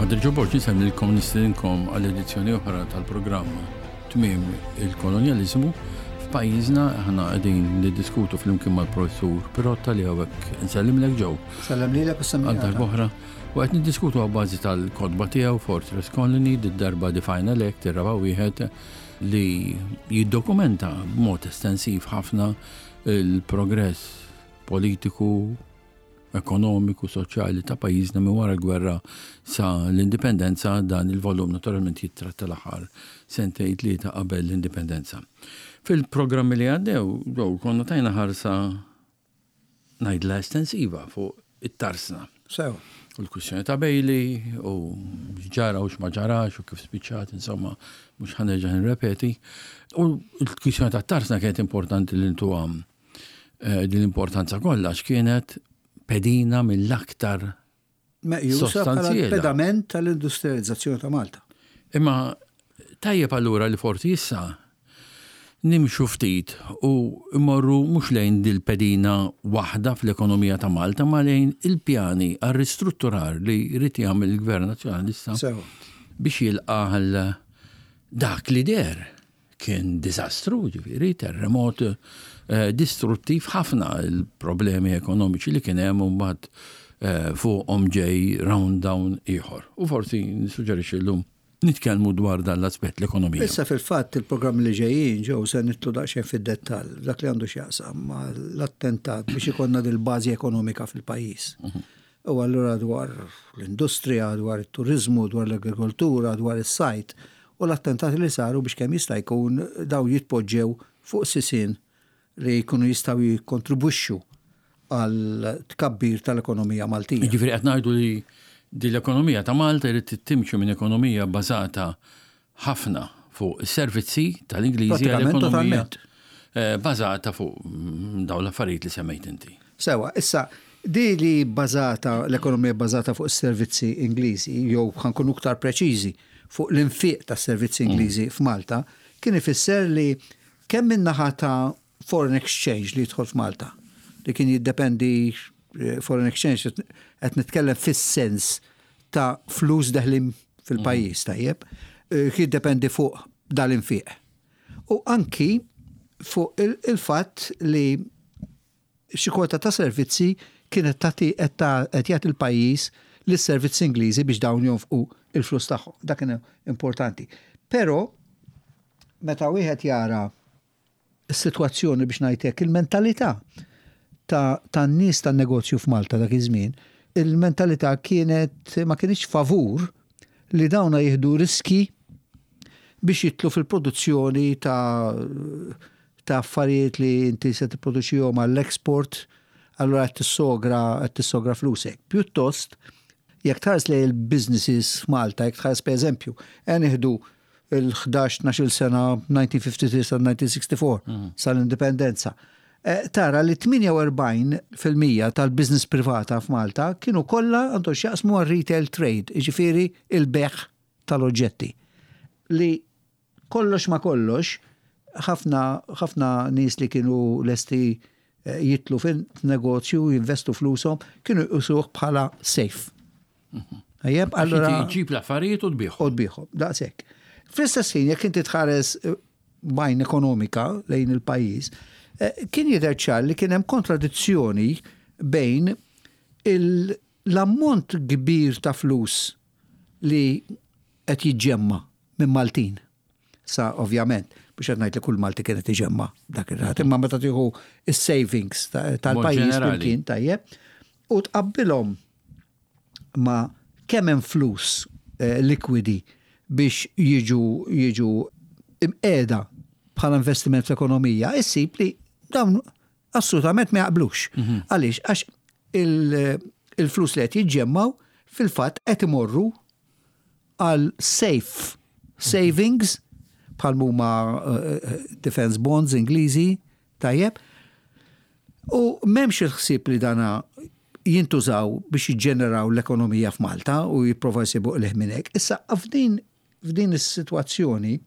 Padre Joe Borg nisemmilkom nistedinkom għal edizzjoni oħra tal-programm Tmiem il-Kolonjaliżmu. F'pajjiżna aħna qegħdin niddiskutu flimkien mal-Professur Pirotta li hawnhekk nsellimlek Joe. Sellem lilek u Għal darb'oħra. U qed niddiskutu għabbażi tal-kotba tiegħu Fortress Colony, did-darba The Final Act, ir-raba' wieħed li jiddokumenta b'mod estensiv ħafna il-progress politiku, ekonomiku, soċjali ta' pajjiżna minn wara l-gwerra sa l-indipendenza, dan il-volum naturalment jittratta l-aħħar sentejn tlieta qabel l-indipendenza. Fil-programmi li għaddew, Joe, konna tajna ħarsa ngħidilha estensiva fuq it-tarsna. Sew. U l-kwistjoni ta' Bailey u x'ġara u x'ma ġarax u kif spiċċat, insomma, mhux ħa nerġa' nirrepeti. U l-kwistjoni tat-tarsna kienet importanti li ntuha eh, din l-importanza kollha għax kienet pedina mill-aktar Meqjusa bħala l-pedament tal-industrializzazzjoni ta' Malta. Imma tajjeb allura li forsi issa nimxu ftit u mmorru mhux lejn dil-pedina waħda fl-ekonomija ta' Malta ma lejn il-pjani għar-ristrutturar li jrid jagħmel il-Gvern Nazzjonalista biex jilqa' għal dak li deher Kien diżastru, ġifieri, terremot distruttiv ħafna il-problemi ekonomiċi li kien hemm u mbagħad fuqhom ġej round down ieħor. U forsi nissuġġerixxi llum nitkellmu dwar dan l-aspett, l-ekonomija. Issa fil-fatt il-programmi li ġejjin ġew se nidħlu daqsxejn fid-dettall f'dak li għandu x'jaqsam mal-attentat biex ikollna dil-bażi ekonomika fil-pajjiż. U allura dwar l-industrija, dwar it-turiżmu, dwar l-agrikoltura, dwar is-sajd u l-attentati li saru biex kemm jista' jkun dawn jitpoġġew fuq sisien li jkunu jistgħu jikkontribwixxu għal tkabbir tal-ekonomija Maltija. Jiġifieri qed ngħidu li din l-ekonomija ta' Malta jrid timxi minn ekonomija bbażata ħafna fuq is-servizzi tal-Ingliżi għal ekonomija eh, bażata fuq mm, dawn l-affarijiet li semmejt inti. Sewa, issa di li bażata l-ekonomija bażata fuq is-servizzi Ingliżi jew ħankunu iktar preċiżi fuq l-infiq tas-servizzi Ingliżi f'Malta kien ifisser li kemm min-naħa ta' foreign exchange li jidħol f'Malta li kien jiddependi eh, foreign exchange qed nitkellem fis-sens ta' flus deħlin fil-pajjiż mm. tajjeb, eh, jiddependi fuq dal-infiq. U anki fuq il-fatt li xi kwota ta' servizzi kienet tagħti qed jagħti il-pajjiż lis-servizzi Ingliżi biex dawn jonfqu il-flus tagħhom. Dak kien importanti. Però meta wieħed jara s-sitwazzjoni biex ngħid hekk, il-mentalità ta' tan-nies tan-negozju f'Malta dak iż-żmien, il-mentalità kienet ma kinitx favur li dawna jieħdu riski biex jidħlu fil-produzzjoni ta' ta' affarijiet li inti se tipproduċihom għall-export, allura qed tissogra qed tissogra flusek. Pjuttost, jekk tħares lejn il-businesses f'Malta, jekk tħares pereżempju, ejja nieħdu il-11, 12 sena 1953 sa 1964 mm. sal-indipendenza. Eh, tara li 48% tal-biznis privata f'Malta kienu kollha għandhom x'jaqsmu għal retail trade, jiġifieri il-beħ tal-oġġetti. Li kollox ma kollox, ħafna ħafna nies li kienu lesti eh, jitlu fin-negozju, jinvestu flushom, kienu jqisuh bħala safe. Tajjeb, allura. Ġib l-affarijiet u tbigħhom. U tbigħhom, daqshekk. Fl-istess ħin, jekk inti tħares eh, bajn ekonomika lejn il-pajjiż, eh, kien jidher ċar li kien hemm kontradizzjoni bejn l-ammont kbir ta' flus li qed jiġġemma minn Maltin. Sa ovvjament, biex qed ngħid li kull Malti kien qed iġemma dak ir-rat, imma meta tieħu is-savings tal-pajjiż kien tajjeb u tqabbilhom ma' kemm hemm flus eh, likwidi biex jiġu jiġu imqiegħda bħala investiment fl-ekonomija, issib li dawn assolutament ma jaqblux. Mhm. Għaliex, għax il-flus li qed jiġġemmaw fil-fatt qed imorru għal safe savings bħal huma eh, eh, defense bonds Ingliżi, tajjeb. U m'hemmx il-ħsieb li dana jintużaw biex jiġġeneraw l-ekonomija f'Malta u jipprova jsibu qligħ minn hekk. Issa f'din f'din is-sitwazzjoni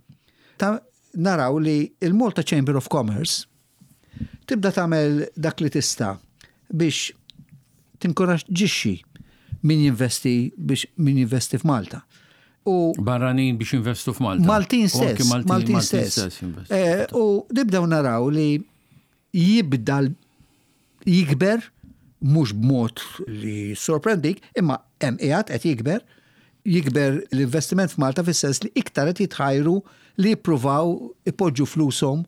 ta' naraw li il-Malta Chamber of Commerce tibda tagħmel dak li tista' biex tinkoraġġixxi. min jinvesti biex min jinvesti f'Malta. U barranin biex jinvestu f'Malta. Maltin stess. Maltin stess. Eh, u nibdew naraw li jibda jikber mhux b'mod li sorprendik, imma hemm qiegħed qed jikber, jikber l-investiment f'Malta fis-sens li iktar qed jitħajru li jippruvaw ipoġġu flushom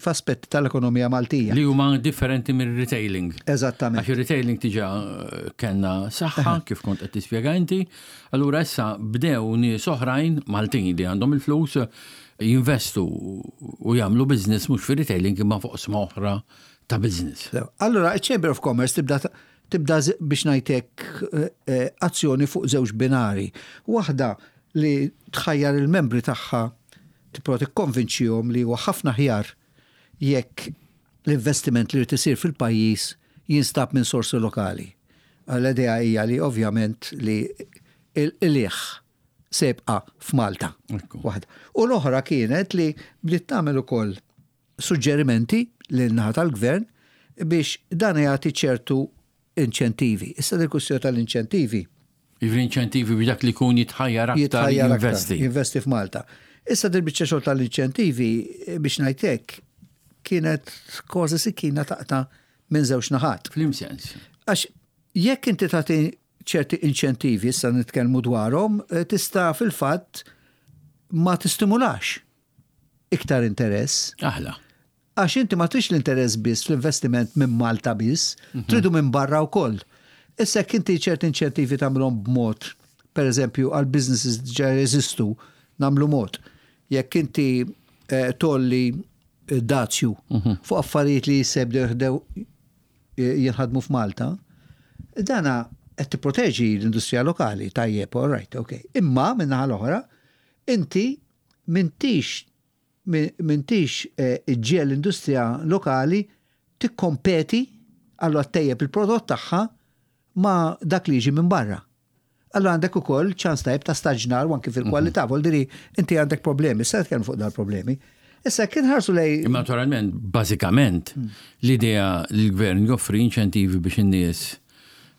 f'aspetti tal-ekonomija Maltija. Li huma differenti mir-retailing. Eżattament. Għax ir-retailing diġà eh, kellna saħħa kif kont qed tispjega inti, allura issa bdew nies oħrajn Maltin li għandhom il-flus jinvestu u jagħmlu business mhux fir-retailing imma fuq oħra ta' business. Allura, il-Chamber of Commerce tibda tibda biex ngħidlek eh, eh, azzjoni fuq żewġ binari. Waħda li tħajjar il-membri tagħha tipprova tikkonvinċihom li huwa ħafna aħjar jekk l-investiment li jrid isir fil-pajjiż jinstab minn sorsi lokali. L-idea hija li ovvjament li il-qligħ se jibqa' f'Malta. Waħda. U l-oħra kienet li bdiet tagħmel ukoll suġġerimenti lin-naħa tal-gvern biex dan jagħti ċertu inċentivi. Issa dil kwistjoni tal-inċentivi. Jiġifieri inċentivi biex dak li jkun jitħajjar aktar jinvesti. Jinvesti f'Malta. Issa dil biċċa xogħol tal-inċentivi biex ngħidlek kienet kważi sikkina taqta' minn żewġ naħat. F'liem sens? Għax jekk inti tagħti ċerti inċentivi issa nitkellmu dwarhom, eh, tista' fil-fatt ma tistimulax iktar interess. Aħla. Għax inti ma trix l-interess biss fl-investiment minn Malta biss, tridu minn barra wkoll. Issa jekk inti ċerti inċentivi tagħmilhom b'mod, per eżempju għal businesses diġà jeżistu, nagħmlu mod. Jekk inti eh, tolli eh, dazju fuq affarijiet li jista' jibdew eh, jinħadmu f'Malta, dana qed tipproteġi l-industrija lokali, tajjeb, all right, ok. Imma min-naħa l-oħra, inti m'intix m'intix iġġiegħel l-industrija lokali tikkompeti, allura ttejjeb il-prodott tagħha ma' dak li jiġi minn barra. Allura għandek ukoll ċans tajjeb ta' staġnar u anki fil-kwalità, mhm. vuol inti għandek problemi, issa nitkellmu fuq dal-problemi. Issa kien ħarsu lej. Imma naturalment, bażikament, hmm. l-idea li l-gvern joffri inċentivi biex in-nies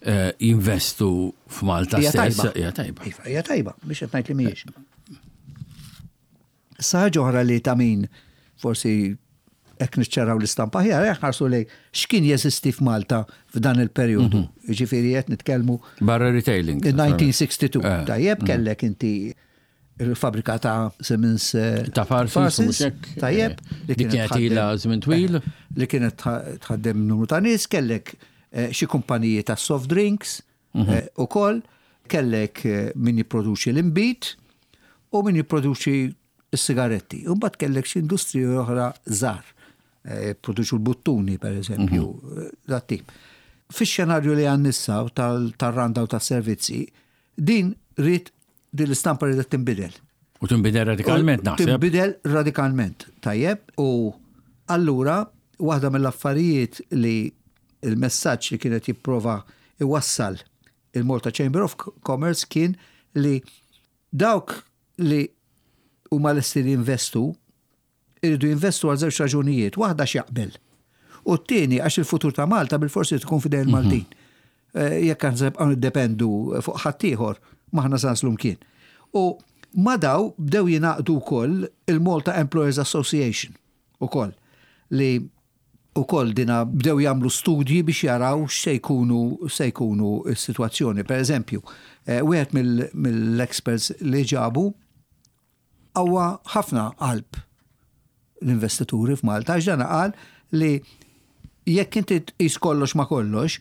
eh, jinvestu f'Malta stess. Hija tajba. Iva, hija tajba, biex qed ngħid li mhijiex. Issa ħaġa oħra li ta' min forsi hekk niċċaraw l-istampa aħjar, hekk ħarsu lejn x'kien jeżisti f'Malta f'dan il-perjodu. Mhm. Jiġifieri qed nitkellmu Barra retailing. 1962. Eh. Tajjeb mhm. kellek inti il-fabrika ta' Siemens eh, ta' Parsons, tajjeb, eh, li kienet ilha żmien twil. Li kienet tħaddem numru ta' nies, kellek xi kumpaniji ta' soft drinks mhm. ukoll, kellek min jipproduċi l-inbid u min jipproduċi s-sigaretti. U mbagħad kellek xi industriji oħra żgħar, eh, produċu l-buttuni per eżempju, mhm. eh, dat tip. Fix-xenarju li għan nissa tal-randa u tas-servizzi, din rrid din l-istampa ridet tinbidel. U tinbidel radikalment naħseb. Tinbidel radikalment, tajjeb, u allura waħda mill-affarijiet li il-messaġġ li kienet jipprova iwassal il-Malta Chamber of Commerce kien li dawk li huma lesti li jinvestu iridu jinvestu għal żewġ raġunijiet, waħda x'jaqbel. U t-tieni għax il-futur ta' Malta bil-forsi tkun fidejn mhm. Maltin. Eh, jekk aħna nibqgħu niddependu fuq ħaddieħor, m'aħna se naslu mkien. U ma daw bdew jingħaqdu wkoll il-Malta Employers Association ukoll li ukoll dina bdew jagħmlu studji biex jaraw x'se jkunu se jkunu s-sitwazzjoni. Per eżempju, eh, wieħed mill-experts li ġabu qawwa ħafna qalb l-investituri f'Malta għax dan qal li jekk inti tqis kollox ma kollox,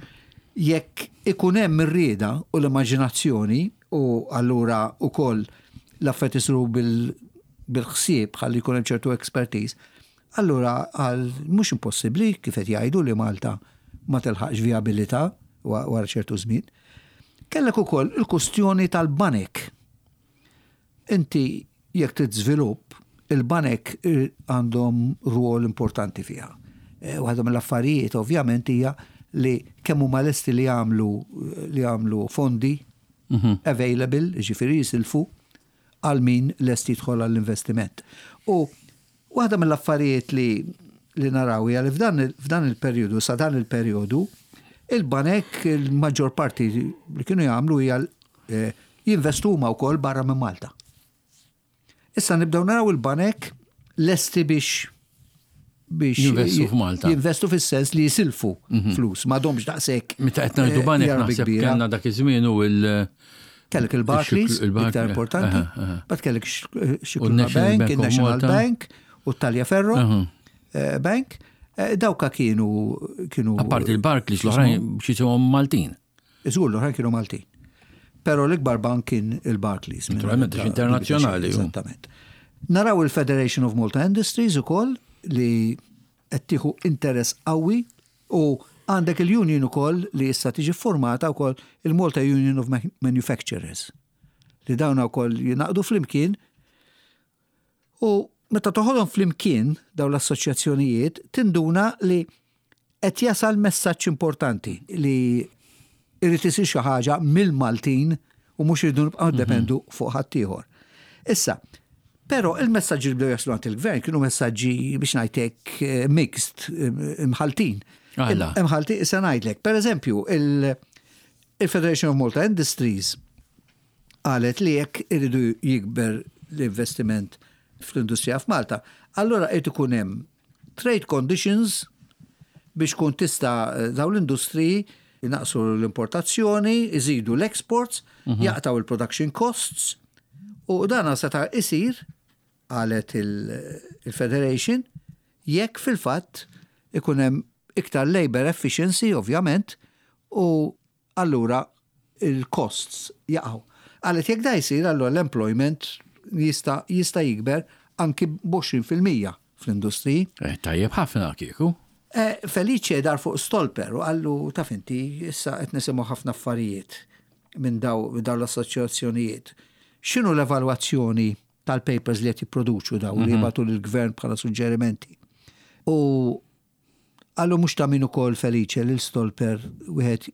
jekk ikun hemm ir-rieda u l-immaġinazzjoni u allura wkoll l-affarijiet isiru bil-ħsieb ħalli jkun hemm ċertu expertise, Allura qal mhux impossibbli kif qed jgħidu li Malta ma tilħaqx vijabilità wara ċertu żmien. Kellek ukoll il-kustjoni tal-banek. Inti jekk trid żvilupp, il-banek għandhom rwol importanti fiha. Eh, waħda mill-affarijiet ovvjament hija li kemm huma lesti li jagħmlu li jagħmlu fondi mhm. available, ġifieri jisilfu għal min lest jidħol għall-investiment. U waħda mill-affarijiet li li naraw hija li f'dan il-perjodu, sa dan il-perjodu, Il-banek il-maġġor parti li kienu jagħmlu hija eh, jinvestu huma wkoll barra minn Malta. Issa nibdew naraw il-banek lesti biex biex jinvestu f'Malta. Jinvestu fis-sens li jisilfu mhm. flus, ma domx daqshekk. Meta qed ngħidu eh, banek naħseb kellna dak iż-żmien u il- Kellek il-Barclays, iktar importanti, bat kellek Scicluna Bank, il-National Bank u Tagliaferro eh, Bank. Eh, dawka kienu kienu. Apparti il-Barclays l-oħrajn xi Maltin. Żgur l-oħrajn kienu Maltin. Però l-ikbar bank kien il-Barclays. Naturalment, għax internazzjonali. Eżattament. Naraw il-Federation of Malta Industries ukoll li qed tieħu interess qawwi u għandek il-union ukoll li issa tiġi formata wkoll il-Malta Union of Manufacturers li dawna wkoll jingħaqdu flimkien U meta toħodhom flimkien dawn l-assoċjazzjonijiet tinduna li qed jasal messaġġ importanti li jrid isir xi ħaġa mill-Maltin u mhux irridu nibqgħu mhm. niddependu fuq ħaddieħor. Issa, però il-messaġġi li bdew jaslu għand il-gvern kienu messaġġi biex ngħidlek eh, mixed, eh, imħaltin. Imħaltin, issa ngħidlek. Per eżempju, il-Federation of Malta Industries qalet li jekk iridu jikber l-investiment fl-industrija f'Malta, allura irid ikun hemm trade conditions biex kun tista' dawn l-industriji jnaqsu l-importazzjoni, iżidu l-exports, mhm. jaqtaw il-production costs u dan seta' isir qalet il-Federation jekk fil-fatt ikun hemm iktar labor efficiency ovvjament u allura l-costs jaqgħu. Qalet jekk da jsir allura l-employment jista' jista' jikber anki b'20% fl-industriji. Eh, tajjeb ħafna kieku. Eh, Felice dar fuq Stolper u qallu taf inti issa qed nisimgħu ħafna affarijiet minn daw dawn l-assoċjazzjonijiet. X'inhu l-evalwazzjoni tal-papers li qed jipproduċu daw li mhm. jibgħatu lill-gvern bħala suġġerimenti? U Qallu mhux ta' min ukoll Felice lil Stolper wieħed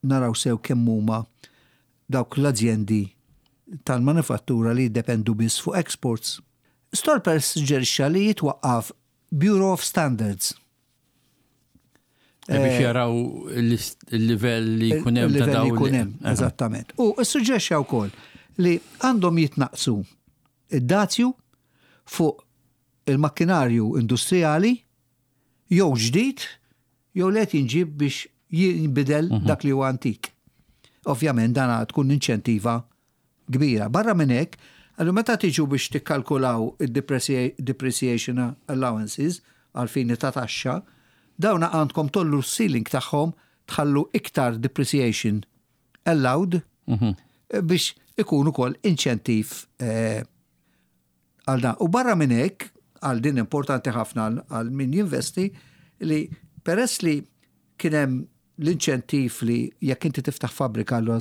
naraw sew kemm huma dawk l-azjendi tal-manifattura li jiddependu biss fuq exports. Stolper ssuġġerixxa li jitwaqqaf Bureau of Standards. Eh, biex jaraw il-livell li jkun hemm ta' dawn. Jkun hemm, eżattament. U ssuġġerixxa wkoll li għandhom jitnaqqsu id-dazju fuq il-makkinarju industrijali jew ġdid jew li qed jinġieb biex jinbidel mhm. dak li huwa antik. Ovvjament dan tkun inċentiva kbira. Barra minn hekk, għallu meta tiġu biex tikkalkulaw id-depreciation allowances għal fini ta' taxxa, dawna għandkom tollu s-ceiling tagħhom tħallu iktar depreciation allowed mhm. biex ikun ukoll inċentiv eh, għal dan. U barra minn hekk, għal din importanti ħafna għal min jinvesti, li peress li kien hemm l-inċentiv li jekk inti tiftaħ fabbrika allura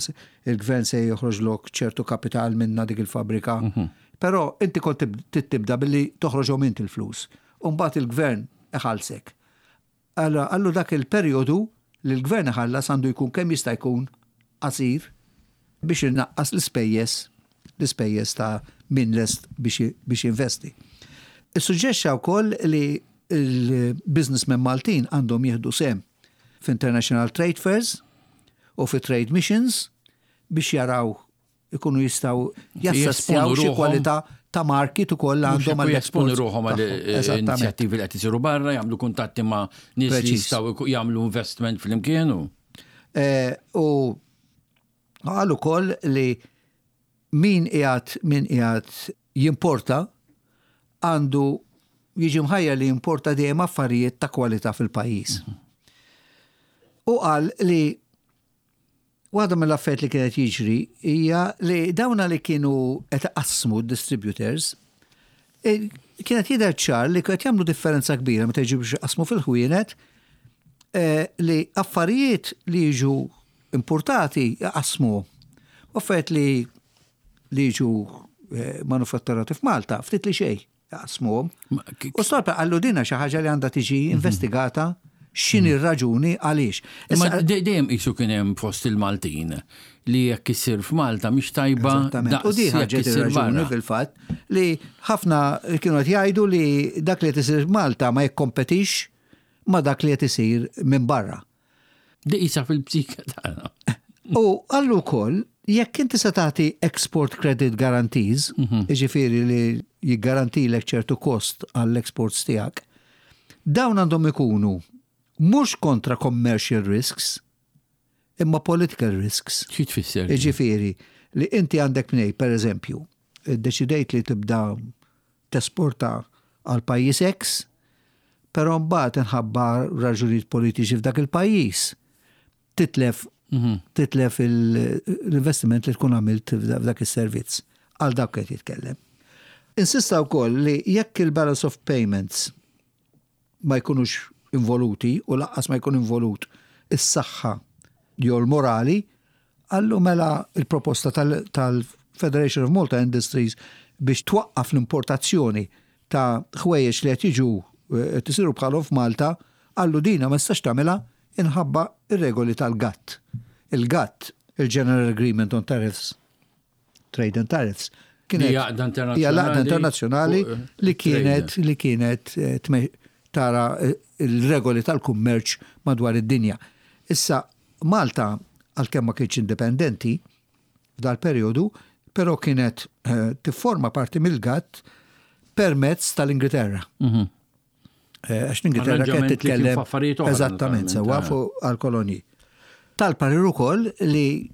il-gvern se joħroġlok ċertu kapital minna dik il-fabbrika. Mhm. Però inti kont tibda billi toħroġhom inti l-flus. U mbagħad il-gvern iħallsek. Allura qallu dak il-perjodu li l-Gvern iħallas għandu jkun kemm jista' jkun qasir biex inaqqas l-ispejjeż l-ispejjeż ta' min lest biex biex jinvesti. Issuġġexxa wkoll li l-businessmen Maltin għandhom jieħdu sehem f'international trade fairs u fi trade missions biex jaraw ikunu jistgħu jassessjaw xi kwalità ta' market ukoll għandhom għal jesponu ruħhom għal eh, inizjattivi li qed isiru barra, jagħmlu kuntatti ma' nies li jistgħu jagħmlu investment flimkien. Eh, u qal ukoll li min qiegħed min qiegħed jimporta għandu jiġi mħajjar li jimporta dejjem affarijiet ta' kwalità fil-pajjiż. Mhm. U qal li Waħda mill-affarijiet li kienet jiġri hija li dawna li kienu qed iqassmu d-distributors e, kienet jidher ċar li qed jagħmlu differenza kbira meta jiġu biex iqassmu fil-ħwienet e, li affarijiet li jiġu importati jqassmu u affarijiet li li jiġu e, manufatturati f'Malta ftit li xejn. Jaqsmuhom. U Stolpe qallu dina xi ħaġa li għandha tiġi mhm. investigata x'inhi mhm. r-raġuni għaliex. Imma dejjem qisu kien hemm fost il-Maltin li jekk isir f'Malta mhix tajba. U di ħaġa ir-raġuni fil-fatt li ħafna kienu qed jgħidu li dak li qed isir f'Malta ma jikkompetix ma dak li qed isir minn barra. Di qisha fil-psika tagħna. U qallu wkoll jekk inti se tagħti export credit guarantees, jiġifieri li jiggarantilek ċertu kost għall-exports tiegħek, dawn għandhom ikunu mhux kontra commercial risks, imma political risks. Xi tfisser? Jiġifieri li inti għandek mnej, per eżempju, iddeċidejt li tibda tesporta għal pajjiż X, però mbagħad inħabba raġunijiet politiċi f'dak il-pajjiż titlef mhm. titlef l-investiment li tkun għamilt f'dak is-servizz. Għal dak qed jitkellem. Insista wkoll li jekk il-balance of payments ma jkunux involuti u laqqas ma jkun involut is-saħħa jew l-morali, qallu mela il-proposta tal-Federation of Malta Industries biex twaqqaf l-importazzjoni ta' ħwejjeġ li qed jiġu qed isiru bħalhom f'Malta, qallu dina ma tistax tagħmilha inħabba r-regoli tal-GATT. Il-GATT, il-General Agreement on Tariffs, Trade and Tariffs, kienet hija l-għaqda internazzjonali eh, li kienet li kienet eh, tara eh, il-regoli tal-kummerċ madwar id-dinja. Issa Malta għalkemm ma kienx indipendenti f'dal-perjodu, però kienet tifforma parti mill-GATT permezz tal-Ingilterra. Mhm. Għax l-Ingilterra kienet titkellem eżattament sewwa fuq għall-kolonji. Tal-parir ukoll li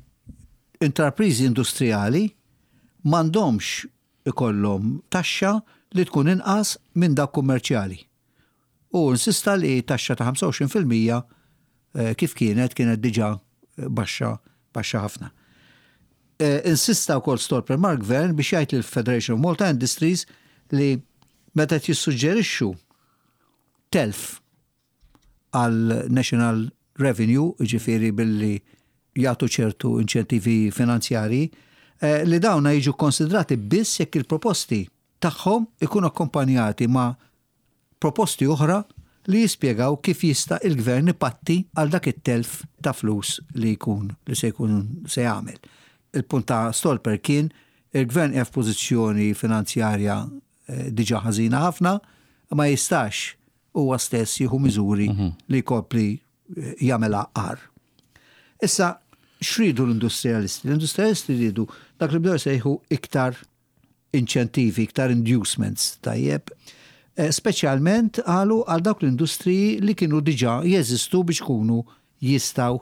intrapriżi industrijali m'għandhomx ikollhom taxxa li tkun inqas minn dak kummerċjali. U insista li taxxa ta' 25% eh, kif kienet kienet diġà baxxa baxxa ħafna. Eh, insista wkoll Stolper mal-Gvern biex jgħid lill-Federation of Malta Industries li meta qed jissuġġerixxu telf għal National Revenue, jiġifieri billi jagħtu ċertu inċentivi finanzjarji, eh, li dawna jiġu konsidrati biss jekk il-proposti tagħhom ikunu akkompanjati ma' proposti oħra li jispjegaw kif jista' il-gvern ipatti għal dak it-telf ta' flus li jkun li se jkun se jagħmel. Il-punt ta' Stolper kien il-gvern qiegħed f'pożizzjoni finanzjarja eh, diġà ħażina ħafna, ma jistax huwa stess jieħu miżuri mhm. li jkompli eh, jagħmel agħar. Issa, x'ridu l-industrialisti? L-industrialisti rridu dak li bdew sejħu iktar inċentivi, iktar inducements, tajjeb. Eh, speċjalment qalu għal dawk l-industriji li kienu diġà jeżistu biex kunu jistgħu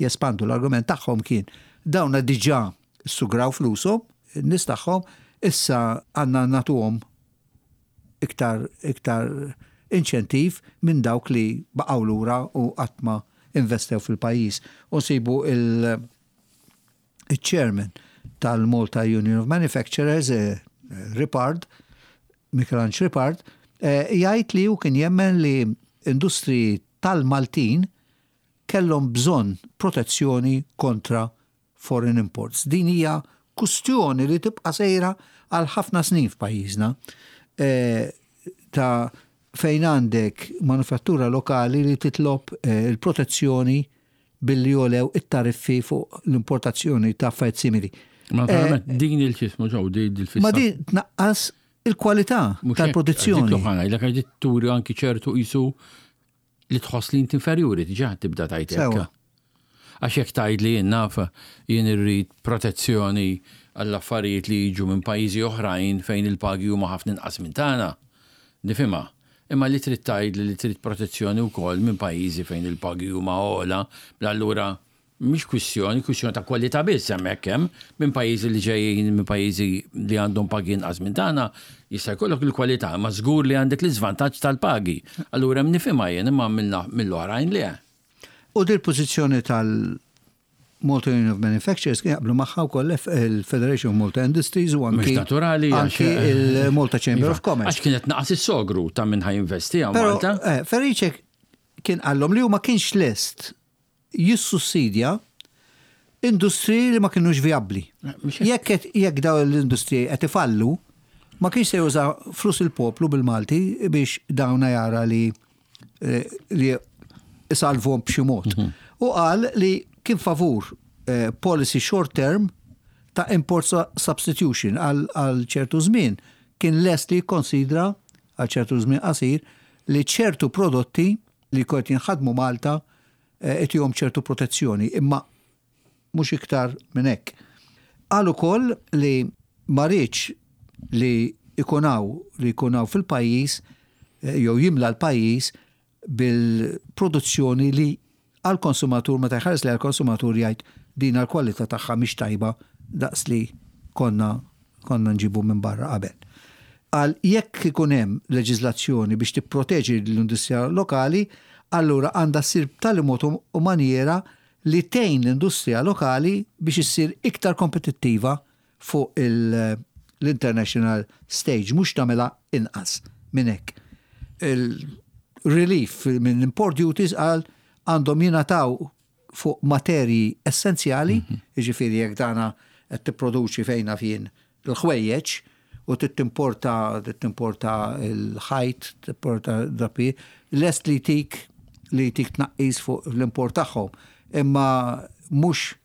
jespandu. L-argument tagħhom kien dawna diġà sugraw flushom, in-nies tagħhom, issa għandna nagħtuhom iktar iktar inċentiv minn dawk li baqgħu lura u qatt ma investew fil-pajjiż. U nsibu il- il-chairman tal-Malta Union of Manufacturers, eh, Ripard, Michelangelo Ripard, eh, jgħid li hu kien jemmen li industriji tal-Maltin kellhom bżonn protezzjoni kontra foreign imports. Din hija kustjoni li tibqa' sejra għal ħafna snin f'pajjiżna eh, ta' fejn għandek manufattura lokali li titlob eh, il-protezzjoni billi jogħlew it-tariffi fuq l-importazzjoni ta' affarijiet simili. Ma naturalment eh, din il-ċismu ġew din il-fissa. Ma din tnaqqas il-kwalità tal-produzzjoni. Dik l-ħana, turi anki ċertu qisu li tħoss li inti inferjuri, diġà tibda tgħid hekk. Għax jekk tgħid li jien naf jien irrid protezzjoni għall-affarijiet li jiġu minn pajjiżi oħrajn fejn il-pagi huma ħafna inqas minn tagħna, nifhimha. Imma li trid tgħidli li trid protezzjoni wkoll minn pajjiżi fejn il-pagi huma ogħla, mela allura Mhix kwistjoni, kwistjoni ta' kwalità biss hemmhekk hemm minn pajjiżi li ġejjin minn pajjiżi li għandhom pagi inqas minn tagħna, jista' jkollok il-kwalità, imma żgur li għandek l-iżvantaġġ tal-pagi. Allura hemm nifhimha jien imma mill-oħrajn le. U dil-pożizzjoni tal-Malta Union of Manufacturers kien jaqblu magħha wkoll il-Federation of Malta Industries u anki naturali anki il-Malta Chamber of Commerce. Għax kienet naqas is-sogru ta' min ħa jinvesti hawn Malta. Eh, Ferice kien qallhom li hu ma kienx lest jissussidja industriji li ma kinux vijabbli. Jekk jekk dawn l-industriji qed ifallu, ma kienx se juża flus il-poplu bil-Malti biex dawna jara li eh, li isalvhom b'xi mod. Mhm. U qal li kien favur eh, policy short term ta' import substitution għal ċertu żmien kien lest li jikkonsidra għal ċertu żmien qasir li ċertu prodotti li kont jinħadmu Malta itihom ċertu protezzjoni, imma mhux iktar minn hekk. Qal ukoll li ma riedx li jkun hawn li jkun hawn fil-pajjiż jew jimla l-pajjiż bil-produzzjoni li għall-konsumatur meta jħares lejha l-konsumatur jgħid din l-kwalità tagħha mhix tajba daqs li konna konna nġibu minn barra qabel. Qal jekk ikun hemm leġiżlazzjoni biex tipproteġi l-industrija lokali, allura għandha ssir b'tali mod u manjiera li tgħin l-industrija lokali biex issir iktar kompetittiva fuq l-international stage, mhux tagħmilha inqas minn hekk. Il-relief minn import duties qal għandhom jingħataw fuq materji essenzjali, jiġifieri jekk dana qed tipproduċi fejn naf jien l-ħwejjeġ u trid timporta trid timporta l-ħajt, timporta drapi, lest li jtik li jtik tnaqqis fuq l-import tagħhom. Imma mhux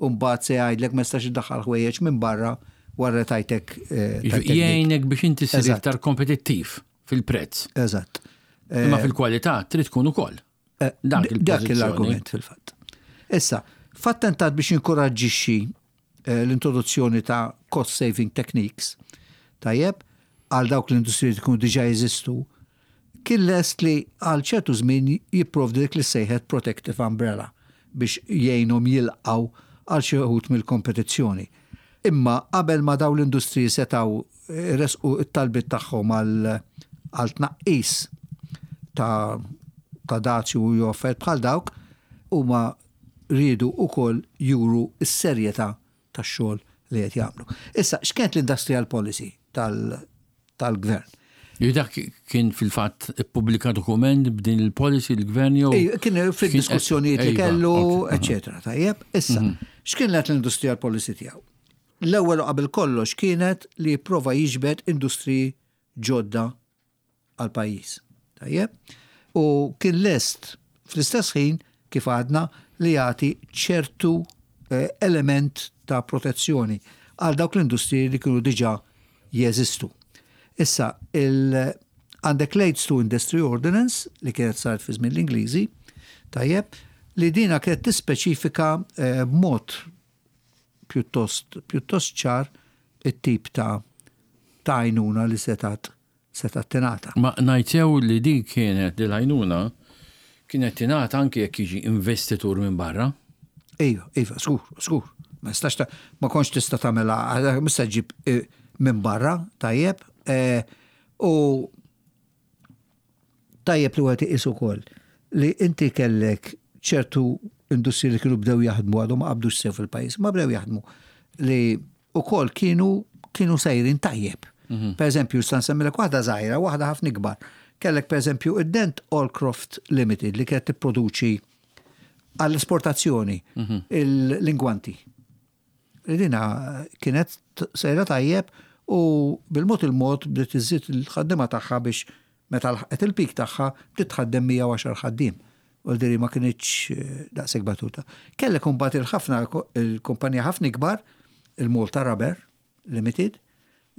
mbagħad se jgħidlek ma jistax iddaħħal ħwejjeġ minn barra wara li tajtek. Jgħinek biex inti ssir iktar kompetittiv fil-prezz. Eżatt. Imma fil-kwalità trid tkun ukoll. Dak l-argument fil-fatt. Issa, f'attentat biex jinkoraġġixxi l-introduzzjoni ta' cost saving techniques, tajjeb, għal dawk l-industriji li jkunu diġà jeżistu, kien lest li għal ċertu żmien jipprovdi dik li sejħet protective umbrella biex jgħinhom jilqgħu għal xi wħud mill-kompetizzjoni. Imma qabel ma dawn l-industriji setgħu ressqu t-talbiet tagħhom għal tnaqqis ta' ta' dazju jew affarijiet bħal dawk, huma riedu wkoll juru s-serjetà tax-xogħol li qed jagħmlu. Issa, x'kienet l-industrial policy tal-gvern? Li dak kien fil-fatt ippubblika dokument b'din il-policy l-gvern jew? Kien fid-diskussjonijiet li kellu, eċetera. Tajjeb, issa, x'kienet l-industrial policy tiegħu? L-ewwel u qabel kollox kienet li jipprova jiġbed industriji ġodda għall-pajjiż. Tajjeb? U kien lest fl-istess ħin kif għadna li jagħti ċertu element ta' protezzjoni għal dawk l-industriji li kienu diġà jeżistu. Issa, għandek l-Aids to Industry Ordinance li kienet saret fi żmien l-Ingliżi, tajjeb, li dina kienet tispeċifika b'mod pjuttost pjuttost ċar it-tip ta' ta' għajnuna li setgħet setgħet tingħata. Ma ngħid sew li din kienet din l-għajnuna kienet tingħata anki jekk jiġi investitur minn barra? Iva, iva, żgur, żgur. Ma jistax ta' ma kontx tista' tagħmilha, mhux se ġġib minn barra, tajjeb. U Tajjeb li wieħed iqis ukoll li inti kellek ċertu industriji li kienu bdew jaħdmu għadhom ma qabdux sew fil-pajjiż, ma bdew jaħdmu li wkoll kienu kienu sejrin tajjeb. Per eżempju, sa nsemmilek waħda żgħira, waħda ħafna ikbar. Kellek per eżempju id-Dent Allcroft Limited li kienet tipproduċi għall-esportazzjoni l-ingwanti. Dina kienet sejra tajjeb u bil-mod il-mod bdiet iżżid il-ħaddiema tagħha biex meta lħaqet il-pik tagħha bdiet tħaddem 110 ħaddiem. U l-diri ma kinitx daqshekk batuta. Kellek imbagħad il-ħafna il-kumpanija ħafna ikbar, il-Malta Rubber Limited,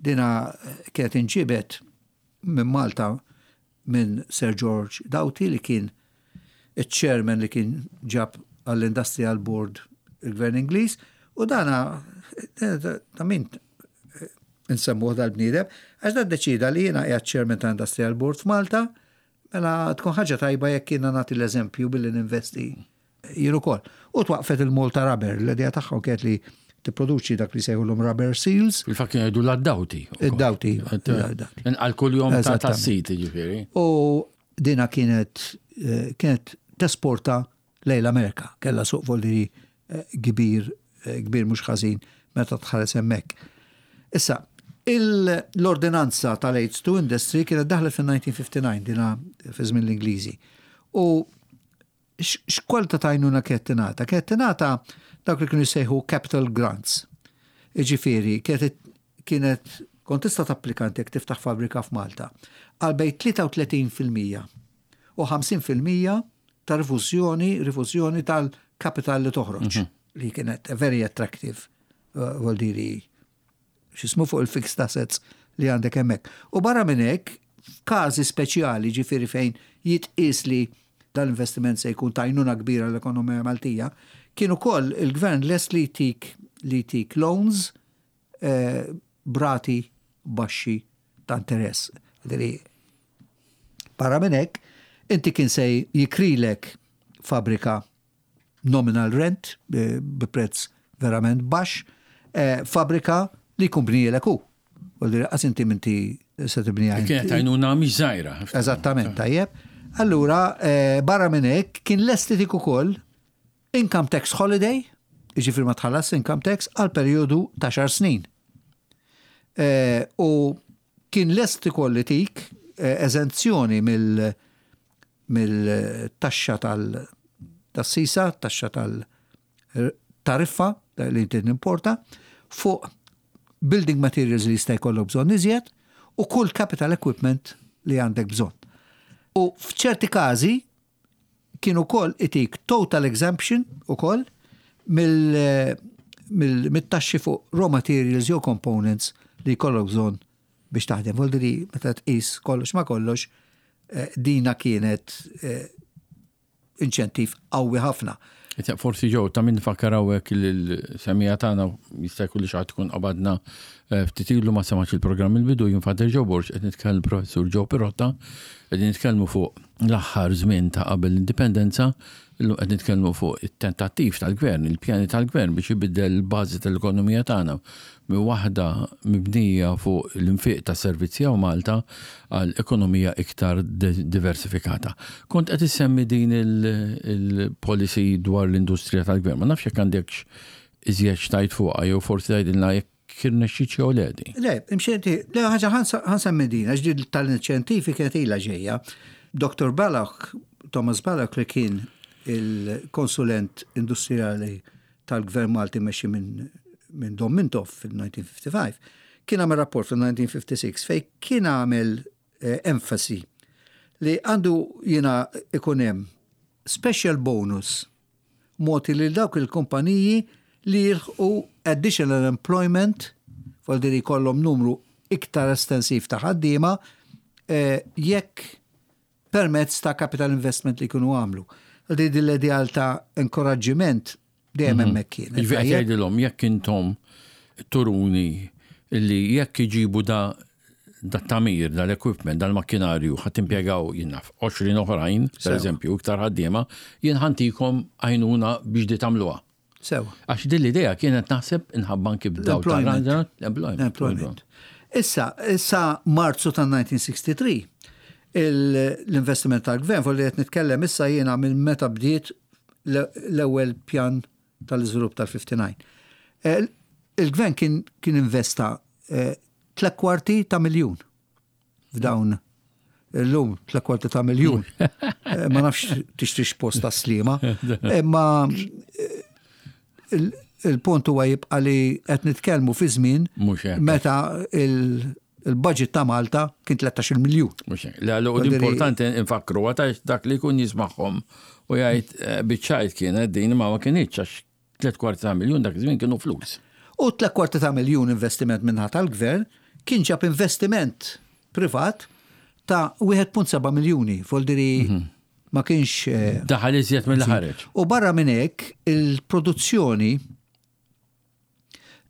dina kienet inġibet minn Malta minn Sir George Doughty li kien iċ-chairman li kien ġab għall-Industrial Board il-Gvern Ingliż u dana ta' min insemmuh dal-bniedem għax dan deċida li jiena qiegħed chairman ta' Industrial Board f'Malta mela tkun ħaġa tajba jekk jiena nagħti l-eżempju billi ninvesti Jien ukoll. U twaqqfet il-Malta Rubber, l-idea tagħhom kienet li tipproduċi dak li sejħulhom rubber seals. Fil-fatt kienu jgħidu l-addawti. Id-dawti. Inqal kuljum ta' tas-sit, jiġifieri. U dina kienet kienet tesporta lejn l-Amerika, kellha suq volli kbir kbir mhux ħażin meta tħares hemmhekk. Issa, l-ordinanza tal-Aids to Industry kienet daħlet fin-1959 dina fi żmien l-Ingliżi. U X'kwalità ta' għajnuna kienet tingħata? Kienet tingħata dawk li kienu jsejħu capital grants. Jiġifieri kienet kienet kont tista' tapplika inti jekk tiftaħ fabbrika f'Malta għal bejn 33% u 50% ta' rifużjoni rifużjoni tal-kapital li toħroġ li kienet very attractive vuol dire x'ismu fuq il-fixed assets li għandek hemmhekk. U barra minn hekk, f'każi speċjali, ġifieri fejn jitqies li dal-investiment se jkun ta' għajnuna kbira l-ekonomija Maltija, kien ukoll il-gvern lest li jtik li jtik loans b'rati baxxi ta' interess. Barra minn hekk, inti kien se jikrilek fabbrika nominal rent bi prezz verament baxx, fabbrika li jkun bnielek hu. Vuol qas inti minti se tibniha. Kienet għajnuna mhix żgħira. Eżattament, tajjeb. Allura, barra minn hekk kien lest itik ukoll income tax holiday, jiġifieri ma tħallas income tax għal perjodu ta' xar snin. U kien lest ukoll itik eżenzjoni mill mill-taxxa tas-sisa, taxxa tal-tariffa li inti nimporta, fuq building materials li jista' jkollok bżonn iżjed u kull capital equipment li għandek bżonn. U f'ċerti każi kien ukoll itik total exemption ukoll mill-taxxi fuq raw materials jew components li jkollok bżonn biex taħdem. Vuol dire meta tqis kollox ma kollox, dina kienet inċentiv qawwi ħafna. Forsi ġew ta' min fakkar hawnhekk il-semija tagħna jista' jkun li xi ħadd tkun qabadna ftit ilu ma semax il-programm il-bidu jien Father Joe Borg qed nitkellem Professur Joe Pirotta qegħdin nitkellmu fuq l-aħħar żmien ta' qabel l-indipendenza illum qed nitkellmu fuq it-tentattiv tal-gvern, il-pjani tal-gvern biex ibiddel il-bażi tal-ekonomija tagħna minn waħda mibnija fuq l-infiq ta' servizzi hawn Malta għal ekonomija iktar diversifikata. Kont qed issemmi din il-policy dwar l-industrija tal-gvern. Ma nafx jekk għandekx iżjed x'tgħid fuqha jew forsi tgħidilna jekk irnexxietx jew le din. Le, imxieti, le ħaġa ħa nsemmi din, għax din tal-inċentivi kienet ilha ġejja. Dr. Balloch, Thomas Balloch li kien il-konsulent industrijali tal-Gvern Malti mmexxi minn minn Dom Mintoff fil-1955, kien għamel rapport fil-1956 fej kien għamel eh, enfasi li għandu jiena ikun hemm special bonus mogħti lil dawk il-kumpaniji li jilħqu additional employment, vuol dire jkollhom numru iktar estensiv ta' ħaddiema eh, jekk permezz ta' capital investment li jkunu għamlu. Għal din l-ideal ta' inkoraġġiment dejjem mhm. hemmhekk kien. Jiġifieri qed jgħidilhom jekk intom turuni li jekk iġibu da da tamir, dal-equipment, dal-makkinarju, ħat impjegaw jinnaf 20 oħrajn, per eżempju, iktar ħaddiema, jien ħantikom għajnuna biex di tagħmluha. Sewa. Għax din l-idea kienet naħseb inħabba anki b'daw Employment. Issa, issa Marzu ta' 1963, l-investiment tal-gvern, fuq li qed nitkellem issa jiena minn meta bdiet l-ewwel pjan tal-iżvilupp tal-59. Eh, il-gvern kien kien investa eh, tlek kwarti ta' miljun f'dawn illum tla kwarti ta' miljun. Eh, ma nafx tixtrix post ta' slima. Imma eh, il-punt huwa jibqa' li qed nitkellmu fi żmien meta il-budget ta' Malta kien 13 miljun. Le, l-importanti nfakru għata dak li jkun jismagħhom u jgħid eh, biċċajt kienet din ma ma kienx għax 3/4 ta' miljun dak iż-żmien kienu flus. U 3/4 ta' miljun investiment min-naħa tal-Gvern kien ġab investiment privat ta' 1.7 miljuni, voldiri mhm. ma kienx. Eh, Daħal iżjed mill ħareġ. U barra minn hekk il-produzzjoni